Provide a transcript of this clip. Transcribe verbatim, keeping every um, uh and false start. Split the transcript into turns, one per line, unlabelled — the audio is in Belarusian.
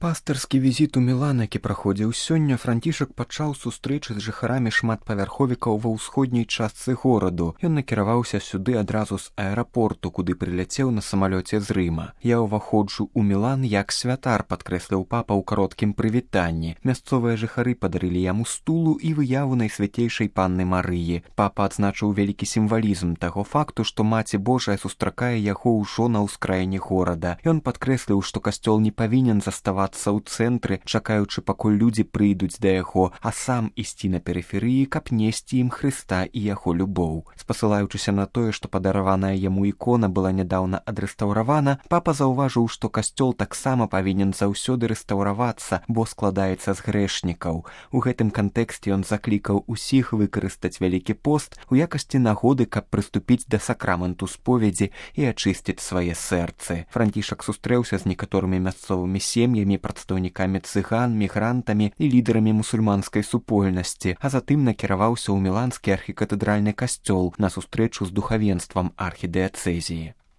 Пастырскі візіт у Мілан, які праходзіў сёння, Францішак пачаў сустрэчы з жыхарамі шматпавярховікаў ва ўсходняй частцы гораду. Ён накіраваўся сюды адразу з аэрапорту, куды прыляцеў на самалёце з Рыма. «Я ўваходжу ў Мілан як святар», падкрэсліў папа ў кароткім прывітанні. Мясцовыя жыхары падарылі яму стулу і выяву найсвяцейшай панны Марыі. Папа адзначыў вялікі сімвалізм таго факту, што Маці Божая сустракае яго ўжо на ўскраіне горада. Ён падкрэсліў, што касцёл не павінен заставацца ў цэнтры, чакаючы, пакуль людзі прыйдуць да яго, а сам ісці на перыферыі, каб несці ім Хрыста і яго любоў. Спасылаючыся на тое, што падараваная яму ікона была нядаўна адрэстаўравана, папа заўважыў, што касцёл таксама павінен заўсёды рэстаўравацца, бо складаецца з грэшнікаў. У гэтым кантэксце ён заклікаў усіх выкарыстаць вялікі пост у якасці нагоды, каб прыступіць да сакраменту споведзі і ачысціць свае сэрцы. Францішак сустрэўся з некаторымі мясцовымі сем'ямі, прадстаўнікамі цыган, мігрантамі і лідарамі мусульманскай супольнасці, а затым накіраваўся ў міланскі архікатэдральны касцёл на сустрэчу з духавенствам архідыяцэзіі.